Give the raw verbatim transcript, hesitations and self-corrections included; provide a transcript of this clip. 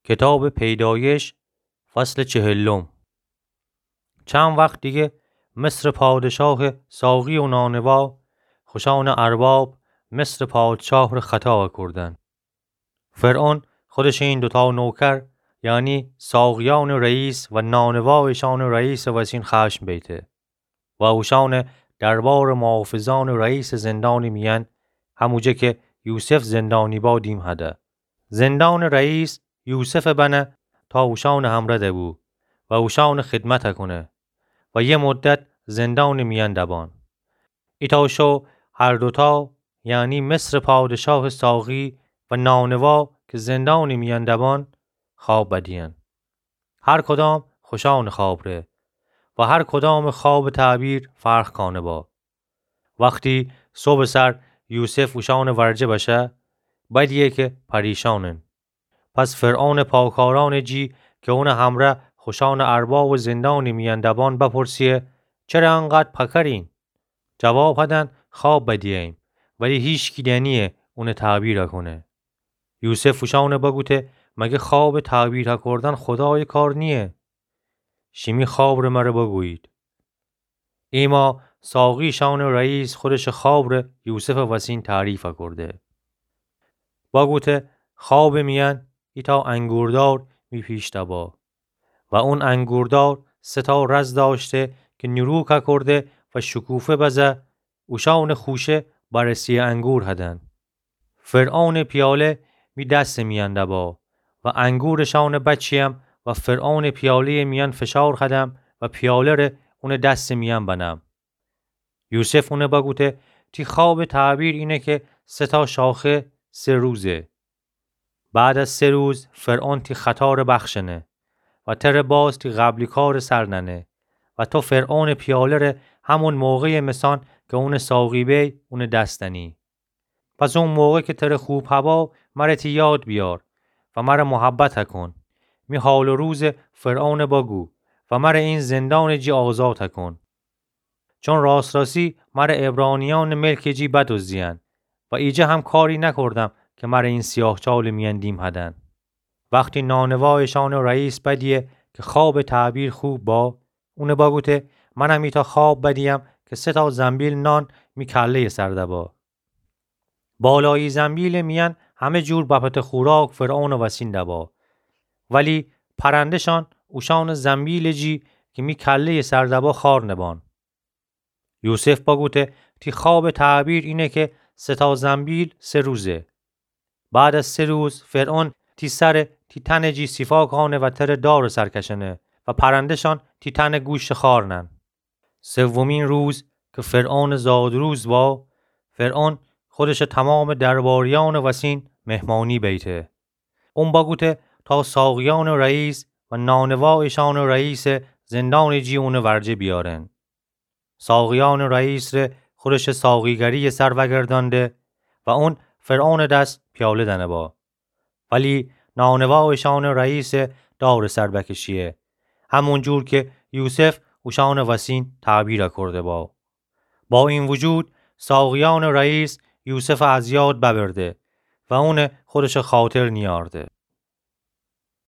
کتابٚ پیدایش، فصلٚ چهلم. چند وقت دیگه مصرٚ پادشاهٚ ساقی و نانوا خوشانٚ ارباب مصرٚ پادشاهٚ ره خطا کوردن. فرعون خودشٚ این دوتا نوکر، یعنی ساقیانٚ رئیس و نانوا ایشانٚ رئیسٚ وسین خشم بیته و اوشانٚ دربارٚ محافظانٚ رئیسٚ زندانٚ میأن، هموجه که یوسف زندانی با، دیم هده. زندانٚ رئیس یوسف بنه تا اوشانٚ همره دبو و اوشانٚ خدمت کونه و یه مدت زندانٚ میأن دبان. ایتا شو هر دوتا، یعنی مصرٚ پادشاهٚ ساقی و نانوا که زندانٚ میأن دبان، خواب بدیئن. هر کدام خوشانٚ خواب ره و هر کدامٚ خوابٚ تعبیر فرق کانه با. وختی صبحٚ سر یوسف اوشانٚ ورجه بشه، بدیه که پریشانن. پس فرعونٚ پاکارانٚ جی که اونٚ همره خوشانٚ اربابٚ زندانٚ میأن دبان بپرسیه: چره انقدر پکرین؟ جواب هدن: خواب بدیه‌ایم، ولی هیچکی دنیه اونٚ تعبیر کونه. یوسف اوشانٚ بگوته: مگه خوابٚ تعبیر کوردن خدایٚ کار نیه؟ شیمی خواب ره مره بگویید. ایما ساقیشانٚ رئیس خودشٚ خواب ره یوسفٚ وسین تعریف کرده. بگوته: خوابٚ میأن ایتا انگوردار می پیش دبا و اون انگوردار سه تا رز داشته که نیرو ککرده و شکوفه بزه اوشانٚ خوشه بررسیٚ انگور هدن. فرعونٚ پیاله می دستٚ میأن دبا و انگورٚ شانٚ بچیم و فرعونٚ پیاله‌یٚ میأن فشار هدم و پیاله ره اونٚ دستٚ میأن بنم. یوسف اونه بگوته: تی خوابٚ تعبیر اینه که سه تا شاخه سه روزه. بعد از سه روز فرعون تی خطا ره بخشنه و تره باز تی قبلی کارٚ سر ننه و تو فرعونٚ پیاله ره همون موقعٚ مثان که اونٚ ساقی بی، اونٚ دس دنی. پس اون موقع که تره خوب هبا، مره تی یاد بیار و مره محبت کن. می حال و روزٚ فرعون بگو و مره این زندانٚ جی آزاد کن. چون راست‌راستی مره عبرانیانٚ ملکٚ جی بدزدیئن و ایجه هم کاری نکردم که مره این سیاه چالٚ میأن دیم هدن. وختی نانوا ایشانٚ رئیس بدیه که خوابٚ تعبیر خوب با، اونه بگوته: منم ایتا خواب بدیم که سه تا زنبیل نان می کله‌یٚ سر دبا. بالایی زنبیلٚ میأن همه جور بپته خوراک فرعونٚ وسین دبا، ولی پرنده‌شان اوشانٚ زنبیلٚ جی که می کله‌یٚ سر دبا خوار نبان. یوسف بگوته: تی خوابٚ تعبیر اینه که سه تا زنبیل سه روزه. بعد از سه روز فرعون تی سره تی تنٚ جی سیفا کانه و تره دارٚ سر کشنه و پرنده‌شان تی تنٚ گوشٚ خوار نن. سومین روز که فرعونٚ زادروز با، فرعون خودشٚ تمامٚ درباریانٚ وسین مهمانی بیته. اون بگوته تا ساقیانٚ رئیس و نانوا ایشانٚ رئیسٚ زندانٚ جی اونٚ ورجه بیارن. ساقیانٚ رئیس ره خودشٚ ساقیگریٚ سر وگردانده و اون فرعونٚ دس پیاله دنه با. ولی نانوا ایشانٚ رئیسٚ دارٚ سر بکشیه، همون جور که یوسف اوشانٚ وسین تعبیر کرده با. با این وجود ساقیانٚ رئیس یوسف از یاد ببرده و اونه خودشٚ خاطر نیارده.